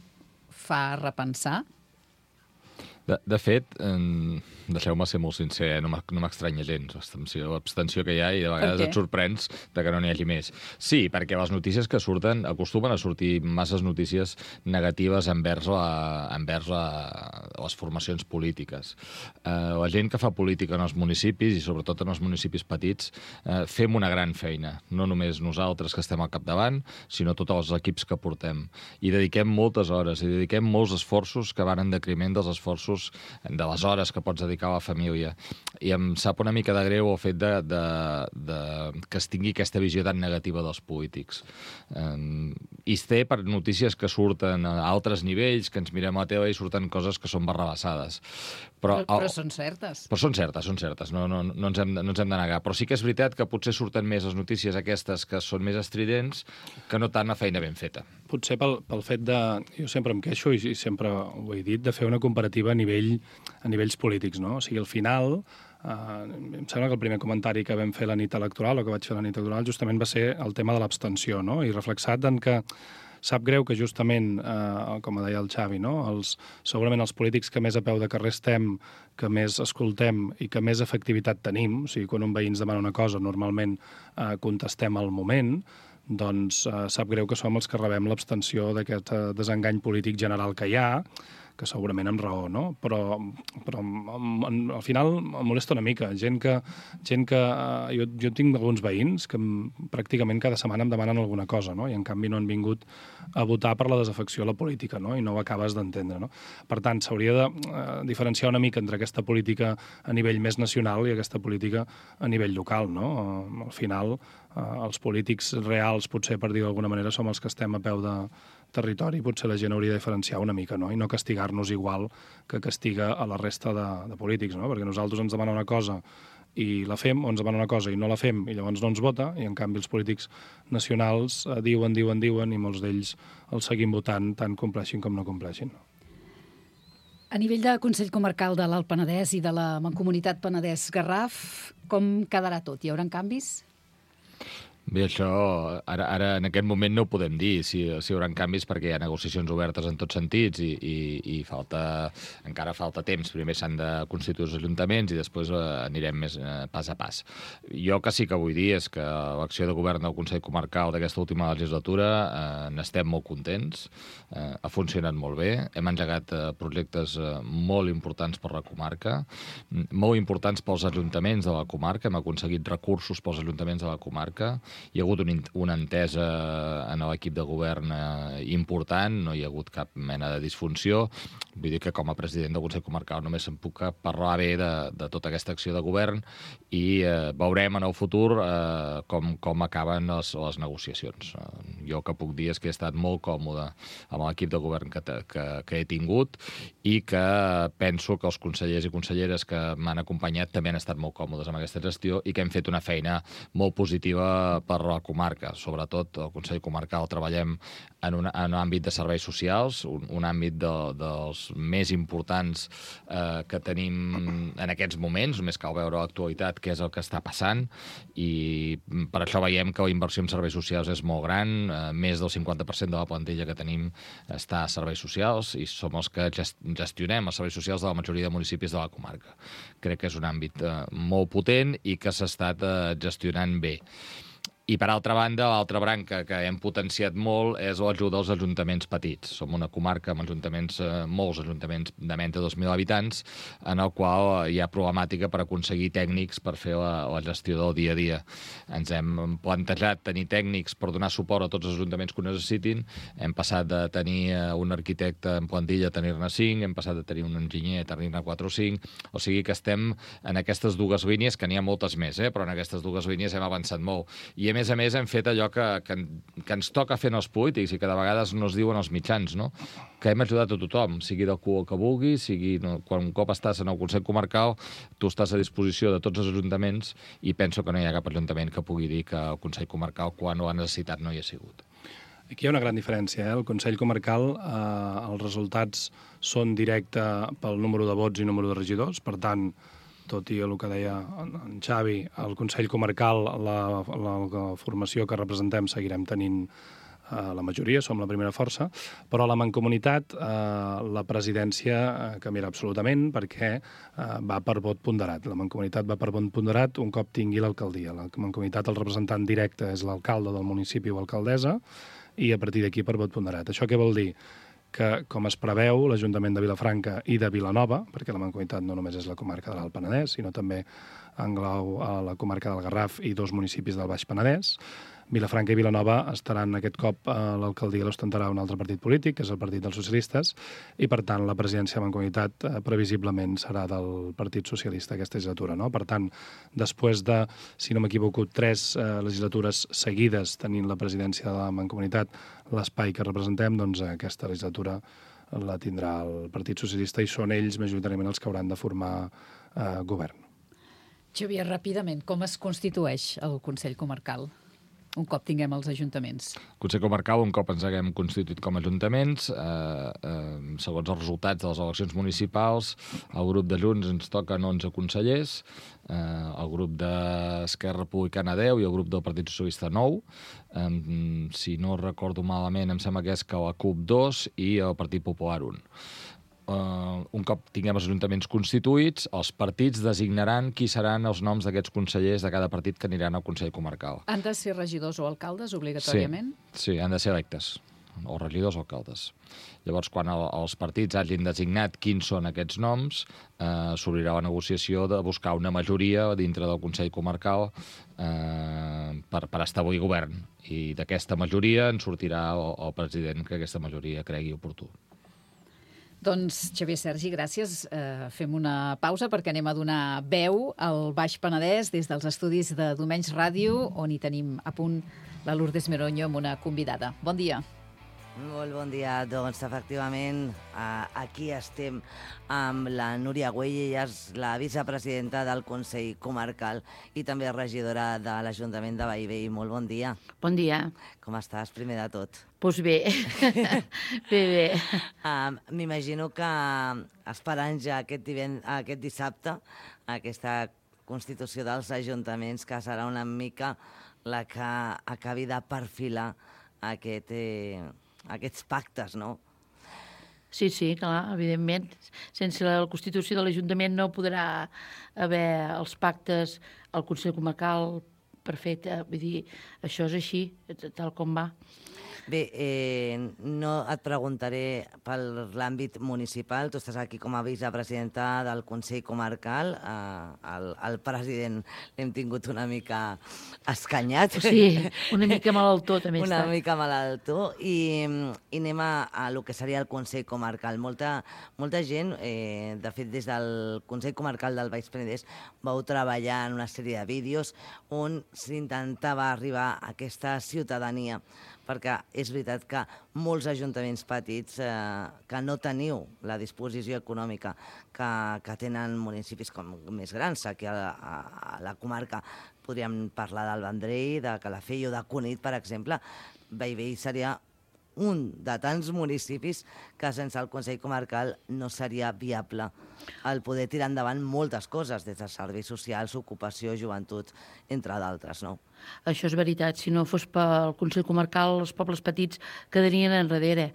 fa repensar? De fet, deixeu-me ser molt sincer, no m'estranya gens l'abstenció que hi ha, i de vegades et sorprens de que no n'hi hagi més. Sí, perquè les notícies que surten acostumen a sortir masses notícies negatives envers les formacions polítiques. La gent que fa política en els municipis, i sobretot en els municipis petits, fem una gran feina. No només nosaltres que estem al capdavant, sinó tots els equips que portem. I dediquem moltes hores, i dediquem molts esforços que van en detriment dels esforços de les hores que pots dedicar a la família. I em sap una mica de greu el fet que es tingui aquesta visió tan negativa dels polítics. I es té per notícies que surten a altres nivells, que ens mirem a la tele i surten coses que són barrabassades. Però són certes. Però són certes, no ens hem de negar. Però sí que és veritat que potser surten més les notícies aquestes que són més estridents que no tant la feina ben feta. Potser pel fet de... Jo sempre em queixo, i sempre ho he dit, de fer una comparativa a nivells polítics, no? O sigui, al final, em sembla que el primer comentari que vam fer la nit electoral, o que vaig fer la nit electoral, justament va ser el tema de l'abstenció, no? I reflexat en que sap greu que justament, com deia el Xavi, no? Segurament els polítics que més a peu de carrer estem, que més escoltem i que més efectivitat tenim, o sigui, quan un veí ens demana una cosa, normalment contestem al moment, doncs sap greu que som els que rebem l'abstenció d'aquest desengany polític general que hi ha, que segurament amb raó, no? Però al final em molesta una mica. Gent que jo tinc alguns veïns que pràcticament cada setmana em demanen alguna cosa, no? I en canvi no han vingut a votar per la desafecció a la política, no? I no ho acabes d'entendre, no? Per tant, s'hauria de diferenciar una mica entre aquesta política a nivell més nacional i aquesta política a nivell local, no? Al final, els polítics reals, potser per dir d'alguna manera, som els que estem a peu de territori, potser la gent hauria de diferenciar una mica, no? I no castigar-nos igual que castiga a la resta de polítics, no? Perquè nosaltres ens demana una cosa i la fem, o ens demana una cosa i no la fem, i llavors no ens vota, i en canvi els polítics nacionals diuen, i molts d'ells els seguim votant, tant compleixin com no compleixin. A nivell de Consell Comarcal de l'Alt Penedès i de la Mancomunitat Penedès-Garraf, com quedarà tot? Hi haurà canvis? Bé, això ara en aquest moment no ho podem dir si hi haurà canvis, perquè hi ha negociacions obertes en tots sentits i encara falta temps. Primer s'han de constituir els ajuntaments i després anirem més pas a pas. Jo que sí que vull dir és que l'acció de govern del Consell Comarcal d'aquesta última legislatura n'estem molt contents, ha funcionat molt bé, hem engegat projectes molt importants per la comarca, molt importants pels ajuntaments de la comarca, hem aconseguit recursos pels ajuntaments de la comarca, hi ha hagut una entesa en l'equip de govern important, no hi ha hagut cap mena de disfunció. Vull dir que com a president del Consell Comarcal només em puc parlar bé de tota aquesta acció de govern i veurem en el futur com acaben les negociacions. Jo el que puc dir és que he estat molt còmode amb l'equip de govern que he tingut i que penso que els consellers i conselleres que m'han acompanyat també han estat molt còmodes amb aquesta gestió i que hem fet una feina molt positiva per la comarca. Sobretot el Consell Comarcal treballem en un àmbit de serveis socials, un àmbit dels més importants que tenim en aquests moments, només cal veure l'actualitat què és el que està passant, i per això veiem que la inversió en serveis socials és molt gran, més del 50% de la plantilla que tenim està a serveis socials i som els que gestionem els serveis socials de la majoria de municipis de la comarca. Crec que és un àmbit molt potent i que s'ha estat gestionant bé. I, per altra banda, l'altra branca que hem potenciat molt és l'ajuda als ajuntaments petits. Som una comarca amb ajuntaments, molts ajuntaments de menys de 2.000 habitants, en el qual hi ha problemàtica per aconseguir tècnics per fer la gestió del dia a dia. Ens hem plantejat tenir tècnics per donar suport a tots els ajuntaments que ho necessitin. Hem passat de tenir un arquitecte en plantilla a tenir-ne 5, hem passat de tenir un enginyer a tenir-ne 4 o 5, o sigui que estem en aquestes dues línies, que n'hi ha moltes més, però en aquestes dues línies hem avançat molt. I a més hem fet allò que ens toca fer als polítics i que de vegades no es diuen als mitjans, no? Que hem ajudat a tothom, sigui del color que vulgui, sigui quan un cop estàs en el Consell Comarcal, tu estàs a disposició de tots els ajuntaments i penso que no hi ha cap ajuntament que pugui dir que el Consell Comarcal, quan ho ha necessitat, no hi ha sigut. Aquí hi ha una gran diferència. El Consell Comarcal, els resultats són directe pel número de vots i número de regidors, per tant, tot i el que deia en Xavi, el Consell Comarcal, la formació que representem seguirem tenint la majoria, som la primera força, però a la Mancomunitat la presidència canviarà absolutament perquè va per vot ponderat. La Mancomunitat va per vot ponderat un cop tingui l'alcaldia. La Mancomunitat, el representant directe és l'alcalde del municipi o alcaldessa i a partir d'aquí per vot ponderat. Això què vol dir? Que, com es preveu, l'Ajuntament de Vilafranca i de Vilanova, perquè la Mancomunitat no només és la comarca de l'Alt Penedès, sinó també englau a la comarca del Garraf i 2 municipis del Baix Penedès, Vilafranca i Vilanova estaran aquest cop l'alcaldia l'ostentarà un altre partit polític, que és el Partit dels Socialistes, i per tant la presidència de la Mancomunitat previsiblement serà del Partit Socialista aquesta legislatura, no? Per tant, després de, si no m'equivoco, 3 legislatures seguides tenint la presidència de la Mancomunitat, l'espai que representem, doncs aquesta legislatura la tindrà el Partit Socialista i són ells majoritàriament els que hauran de formar govern. Xavier, ràpidament, com es constitueix el Consell Comarcal? Un cop tinguem els ajuntaments. Consell Comarcal, un cop ens haguem constituït com a ajuntaments, segons els resultats de les eleccions municipals, el grup de Junts ens toquen 11 consellers, el grup d'Esquerra Republicana 10 i el grup del Partit Socialista 9. Si no recordo malament, em sembla que és que la CUP 2 i el Partit Popular 1. Un cop tinguem els ajuntaments constituïts, els partits designaran qui seran els noms d'aquests consellers de cada partit que aniran al Consell Comarcal. Han de ser regidors o alcaldes, obligatòriament? Sí, han de ser electes, o regidors o alcaldes. Llavors, quan els partits hagin designat quins són aquests noms, s'obrirà la negociació de buscar una majoria dintre del Consell Comarcal per establir govern. I d'aquesta majoria en sortirà el president que aquesta majoria cregui oportú. Doncs, Xavier Sergi, gràcies. Fem una pausa perquè anem a donar veu al Baix Penedès des dels estudis de Domenys Ràdio, on hi tenim a punt la Lourdes Meronyo amb una convidada. Bon dia. Molt bon dia. Doncs, efectivament, aquí estem amb la Núria Güell, ella és la vicepresidenta del Consell Comarcal i també regidora de l'Ajuntament de Bellvei. Molt bon dia. Bon dia. Com estàs, primer de tot? Doncs bé, bé. M'imagino que esperant ja aquest dissabte aquesta constitució dels ajuntaments, que serà una mica la que acabi de perfilar aquests pactes, no? Sí, clar, evidentment. Sense la Constitució de l'Ajuntament no podrà haver els pactes al Consell Comarcal perfecte. Vull dir, això és així, tal com va. Bé, no et preguntaré per l'àmbit municipal. Tu estàs aquí com a vicepresidenta del Consell Comarcal. El president l'hem tingut una mica escanyat. Sí, una mica malaltó també està. Una mica malaltó. I anem a lo que seria el Consell Comarcal. Molta gent, de fet, des del Consell Comarcal del Baix Penedès vau treballar en una sèrie de vídeos on s'intentava arribar a aquesta ciutadania, perquè és veritat que molts ajuntaments petits que no teniu la disposició econòmica que tenen municipis més grans, aquí a la comarca podríem parlar del Vendrell, de Calafell o de Cunit, per exemple. Bellvei seria un de tants municipis que sense el Consell Comarcal no seria viable el poder tirar endavant moltes coses, des de serveis socials, ocupació, joventut, entre d'altres, no? Això és veritat. Si no fos pel Consell Comarcal, els pobles petits quedarien enrere.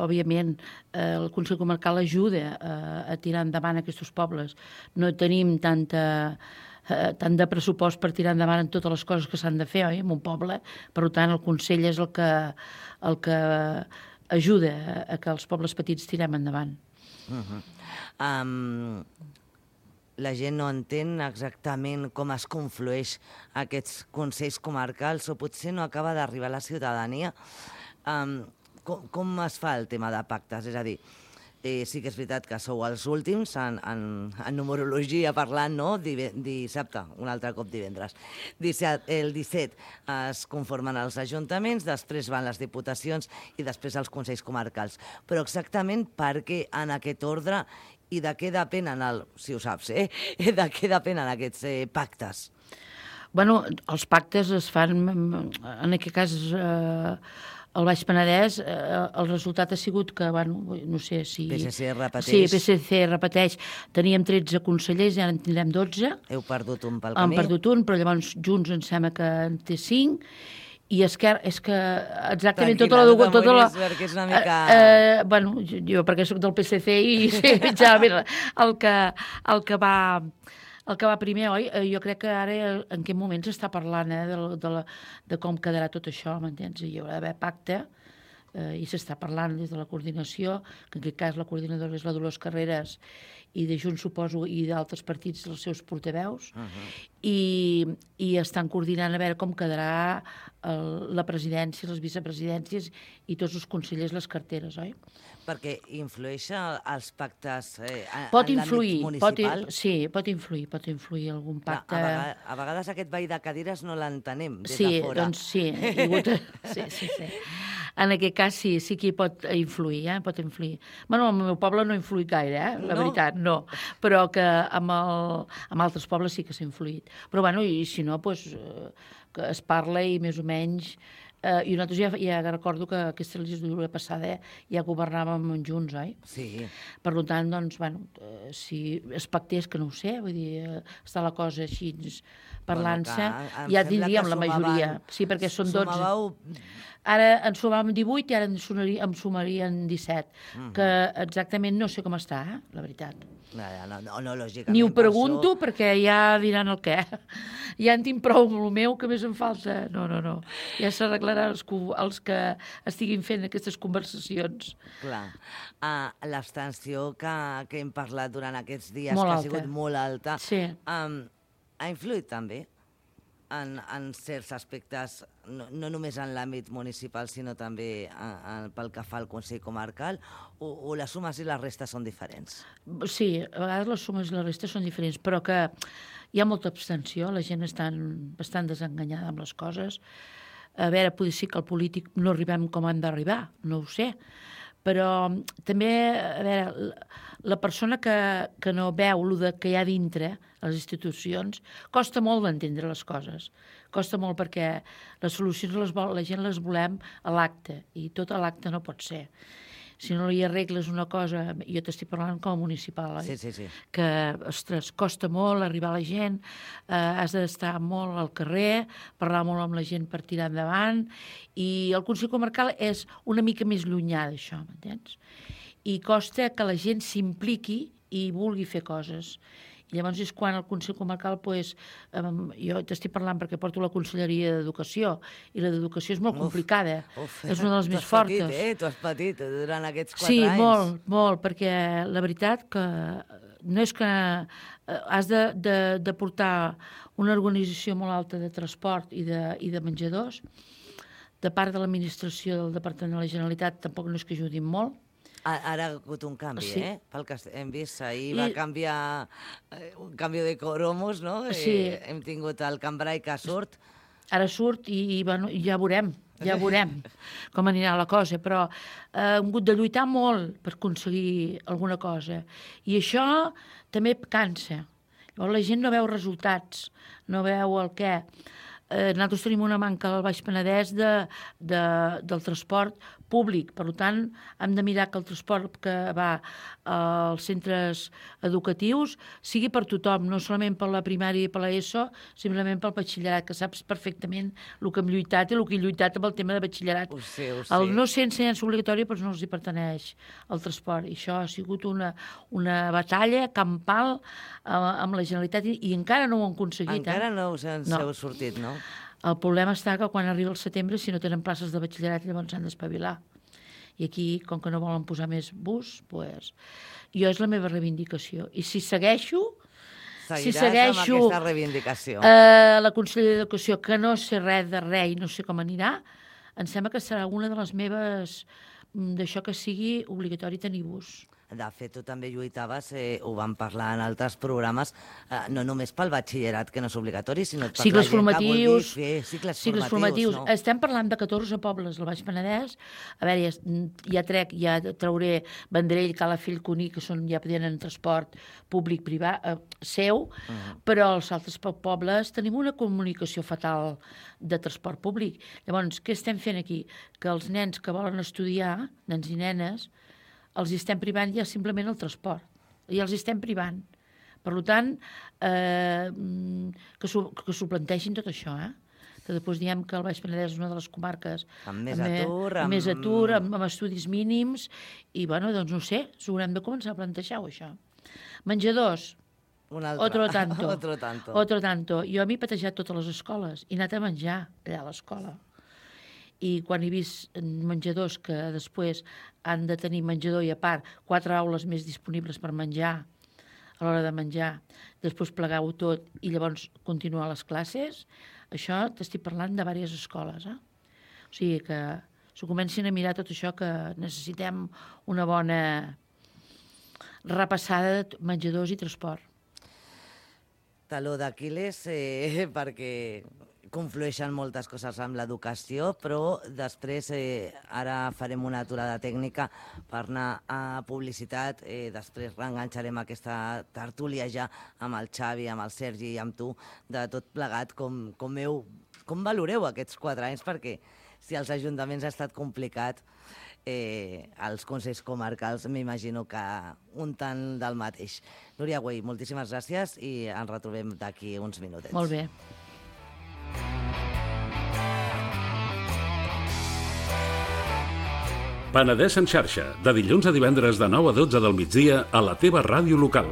Òbviament, el Consell Comarcal ajuda a tirar endavant aquests pobles. No tenim tanta tant de pressupost per tirar endavant en totes les coses que s'han de fer, oi, en un poble. Per tant, el Consell és el que ajuda a que els pobles petits tirem endavant. La gent no entén exactament com es conflueix aquests consells comarcals o potser no acaba d'arribar a la ciutadania. Com es fa el tema de pactes? És a dir, sí que és veritat que sou els últims en numerologia parlant, no? Dissabte, un altre cop divendres. El 17 es conformen els ajuntaments, després van les diputacions i després els consells comarcals. Però exactament per què en aquest ordre i de què depenen, si ho saps, de què depenen aquests pactes? Bueno, els pactes es fan, en aquest cas, al Baix Penedès, el resultat ha sigut que, bueno, no sé si... PSC repeteix. Sí, PSC repeteix. Teníem 13 consellers i ara en tindrem 12. Heu perdut un pel camí. Hem perdut un, però llavors Junts em sembla que en té 5. I Esquerra, és que exactament tota la... Tranquil·la, no t'amoïnis, perquè és una mica... Bueno, jo perquè soc del PSC i sé el que va primer, oi? Jo crec que ara en quin moment s'està parlant de com quedarà tot això, m'entens? Hi haurà d'haver pacte i s'està parlant des de la coordinació, que en aquest cas la coordinadora és la Dolors Carreras i de Junts, suposo, i d'altres partits, els seus portaveus, i estan coordinant a veure com quedarà la presidència, les vicepresidències i tots els consellers, les carteres, oi? Perquè influeix els pactes en l'àmbit municipal? Sí, pot influir algun pacte. A vegades aquest ball de cadires no l'entenem des de fora. Doncs sí, sí. En aquest cas sí que hi pot influir, pot influir. Bueno, al meu poble no ha influït gaire, la veritat, no. Però que amb altres pobles sí que s'ha influït. Però bueno, i si no, doncs, que es parla i més o menys... I nosaltres ja recordo que aquesta legislatura passada ja governàvem junts, oi? Sí. Per tant, doncs, bueno, si es pactés, que no ho sé, vull dir, està la cosa així parlant-se, ja tindríem la majoria. Sí, perquè són 12. Ara en sumàvem 18 i ara em sumarien 17, que exactament no sé com està, la veritat. No, lògicament. Ni ho pregunto perquè ja diran el què. Ja en tinc prou amb el meu, que més em falta. No. Ja s'arreglaran els que estiguin fent aquestes conversacions. Clar. L'abstenció que hem parlat durant aquests dies, que ha sigut molt alta, ha influït també en certs aspectes, no només en l'àmbit municipal, sinó també pel que fa al Consell Comarcal, o les sumes i les restes són diferents? Sí, a vegades les sumes i les restes són diferents, però que hi ha molta abstenció, la gent està bastant desenganyada amb les coses. A veure, potser sí que el polític no arribem com hem d'arribar, no ho sé, però també, a veure, la persona que no veu el que hi ha dintre a les institucions, costa molt d'entendre les coses. Costa molt perquè les solucions la gent les volem a l'acte, i tot a l'acte no pot ser. Si no hi arregles una cosa, jo t'estic parlant com a municipal, oi? Sí. Que, ostres, costa molt arribar a la gent, has d'estar molt al carrer, parlar molt amb la gent per tirar endavant, i el Consell Comarcal és una mica més llunyà d'això, m'entens? I costa que la gent s'impliqui i vulgui fer coses. I llavors és quan el Consell Comarcal, jo t'estic parlant perquè porto la Conselleria d'Educació, i la d'Educació és molt complicada, és una de les més fortes. Tu has patit durant aquests 4 anys. Sí, molt, perquè la veritat que no és que has de portar una organització molt alta de transport i de menjadors, de part de l'administració del Departament de la Generalitat tampoc no és que ajudin molt. Ara ha hagut un canvi, pel que hem vist. Ahir va canviar un canvi de cromos, no? Sí. Hem tingut el cambrai que surt. Ara surt i ja veurem com anirà la cosa, però hem hagut de lluitar molt per aconseguir alguna cosa. I això també cansa. Llavors la gent no veu resultats, no veu el què. nosaltres tenim una manca al Baix Penedès del transport públic. Per tant, hem de mirar que el transport que va als centres educatius sigui per tothom, no solament per la primària i per l'ESO, simplement pel batxillerat, que saps perfectament el que hem lluitat i el que he lluitat amb el tema de batxillerat. Ho sé. El no ser ensenyança obligatòria doncs no els hi pertaneix el transport. I això ha sigut una batalla campal amb la Generalitat i encara no ho han aconseguit. Encara no us en heu sortit, no? El problema està que quan arriba el setembre, si no tenen places de batxillerat, llavors s'han d'espavilar. I aquí, com que no volen posar més bus, doncs... Jo és la meva reivindicació. I si segueixo... Seguiràs amb aquesta reivindicació. La Conselleria d'Educació, que no sé res de res i no sé com anirà, em sembla que serà una de les meves... d'això que sigui obligatori tenir bus. De fet, tu també lluitaves, ho vam parlar en altres programes, no només pel batxillerat, que no és obligatori, sinó per cicles la gent que vulgui fer cicles formatius. No? Estem parlant de 14 pobles del Baix Penedès. A veure, ja trauré Vendrell, Calafell, Cuní, que ja tenen transport públic-privat seu, però els altres pobles tenim una comunicació fatal de transport públic. Llavors, què estem fent aquí? Que els nens que volen estudiar, nens i nenes, els estem privant ja simplement el transport. I els estem privant. Per tant, que s'ho plantegin tot això, que després diem que el Baix Penedès és una de les comarques amb més atur, amb estudis mínims, i, bueno, doncs no sé, s'ho haurem de començar a plantejar, això. Menjadors, otro tanto. Jo m'he patejat totes les escoles i he anat a menjar allà a l'escola. I quan he vist menjadors que després han de tenir menjador i a part 4 aules més disponibles per menjar a l'hora de menjar, després plegar-ho tot i llavors continuar les classes, això t'estic parlant de diverses escoles. O sigui que s'ho comencin a mirar tot això, que necessitem una bona repassada de menjadors i transport. Taló d'Aquil·les, perquè conflueixen moltes coses amb l'educació, però després ara farem una aturada tècnica per anar a publicitat, després reenganxarem aquesta tertúlia ja amb el Xavi, amb el Sergi i amb tu, de tot plegat, com valoreu aquests 4 anys, perquè si als ajuntaments ha estat complicat, els consells comarcals m'imagino que un tant del mateix. Núria Güell, moltíssimes gràcies i ens retrobem d'aquí uns minutets. Molt bé. Penedès en xarxa, de dilluns a divendres de 9 a 12 del migdia a la teva ràdio local.